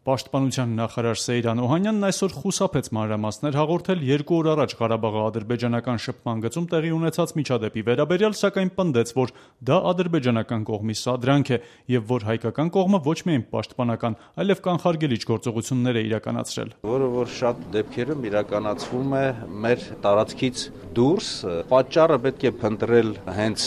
Պաշտպանության նախարար Սեյրան Օհանյանն այսօր խուսափեց մանրամասներ հաղորդել 2 օր առաջ Ղարաբաղի ադրբեջանական շփման գծում տեղի ունեցած միջադեպի վերաբերյալ, սակայն պնդեց, որ դա ադրբեջանական կողմի սադրանք է եւ որ հայկական կողմը ոչ միայն պաշտպանական, այլև կանխարգելիչ գործողություններ է իրականացրել։ Որը որ շատ դեպքերում իրականացվում է մեր տարածքից դուրս, պատճառը պետք է փնտրել հենց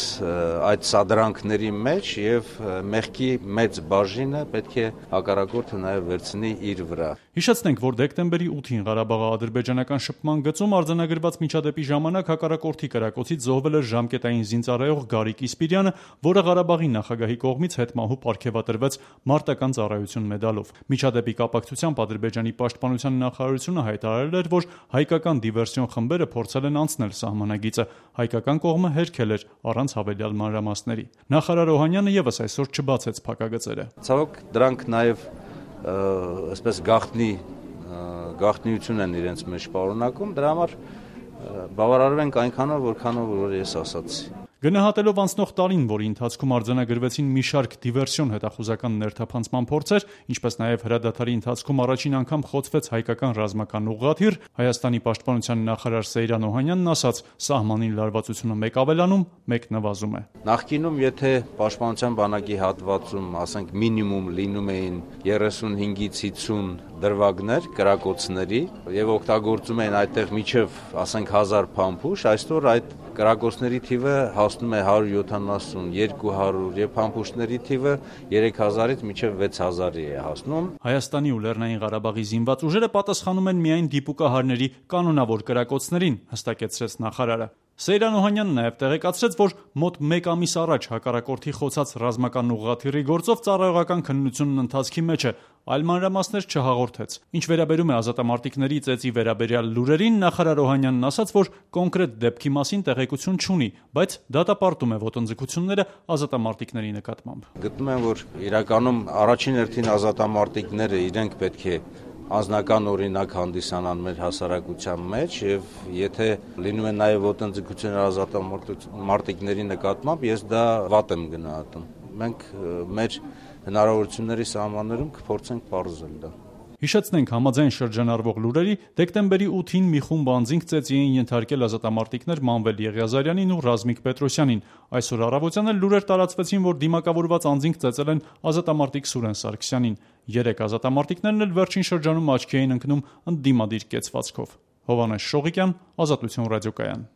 այդ սադրանքների մեջ եւ մեղքի մեծ բաժինը պետք է հակառակորդը նաեւ վերցնի իր վրա։ Հիշեցնենք, որ դեկտեմբերի 8-ին Ղարաբաղի ադրբեջանական շփման գծում արձանագրված միջադեպի ժամանակ հակառակորդի կրակոցից զոհվել էր ժամկետային զինծառայող Գարիկ Իսպիրյանը, որը Ղարաբաղի նախագահի կողմից հետմահու պարգևատրվեց մարտական ծառայություն մեդալով։ Միջադեպի կապակցությամբ Ադրբեջանի պաշտպանության նախարարությունը հայտարարել էր, որ հայկական դիվերսիոն խմբերը փորձել են անցնել սահմանագիծը, հայկական կողմը հերքել էր առանց հավելյալ մանրամասների։ Նախարար Օհանյանը եւս այսօր չբացեց փակագծերը։ Ցավոք դրանք նաեւ այսպես գաղտնիություն են իրենց մեջ պարունակում, դրա համար բավարարվենք այնքանով, որքանով որ ես ասացի։ Գնահատելով անցնող տարին, որի ընթացքում արձանագրվեցին մի շարք դիվերսիոն հետախուզական ներթափանցման փորձեր, ինչպես նաև հրադադարի ընթացքում առաջին անգամ խոցվեց հայկական ռազմական ուղղաթիռ, Հայաստանի պաշտպանության նախարար Սեյրան Օհանյանն ասաց, սահմանին լարվածությունը մեկ ավելանում, մեկ նվազում է։ Նախկինում, եթե պաշտպանության բանակի հատվածում, ասենք մինիմում լինում էին 35-ից 50 դրվագներ կրակոցների եւ օգտագործում էին այդտեղ միջև, ասենք 1000 փամփուշտ, այսօր այդ կրակոցների թիվը հասնում է 170, 200 եւ փամփուշտների թիվը 3000-ից մինչեւ 6000-ի է հասնում։ Հայաստանի ու Լեռնային Ղարաբաղի զինված ուժերը պատասխանում են միայն դիպուկահարների կանոնավոր կրակոցներին, հստակեցրեց նախարարը։ Սեյրան Օհանյանն նաև տեղեկացրեց, որ մոտ 1 ամիս առաջ հակառակորդի խոցած ռազմական ուղղաթիռի գործով ծառայողական քննությունն ընթացքի մեջ է, այլ մանրամասներ չհաղորդեց։ Ինչ վերաբերում է ազատամարտիկների ծեծի վերաբերյալ լուրերին, նախարար Օհանյանն ասաց, որ կոնկրետ դեպքի մասին տեղեկություն չունի, բայց դատապարտում է ոտնձգությունները ազատամարտիկների նկատմամբ։ Գտնում եմ, որ իրականում առաջին հերթին ազատամարտիկները իրենք պետք է անձնական օրինակ հանդիսանան մեր հասարակության մեջ եւ եթե լինում են նաեւ ոտնձգություններ ազատամարտիկների նկատմամբ, ես դա վատ եմ գնահատում։ Մենք մեր հնարավորությունների սահմաններում կփորձենք պարզել դա։ Հիշեցնենք, համաձայն շրջանառվող լուրերի, դեկտեմբերի 8-ին մի խումբ անձինք ծեծի էին ենթարկել ազատամարտիկներ Մանվել Եղիազարյանին ու Ռազմիկ Պետրոսյանին։ Այսօր առավոտյան էլ լուրեր տարածվեցին, որ դիմակավորված անձինք ծեծել են ազատամարտիկ Սուրեն Սարգսյանին։ 3 ազատամարտիկներն էլ վերջին շրջանում աչքի էին ընկնում ընդդիմադիր կեցվածքով։ Հովհաննես Շողիկյան, Ազատություն ռադիոկայան։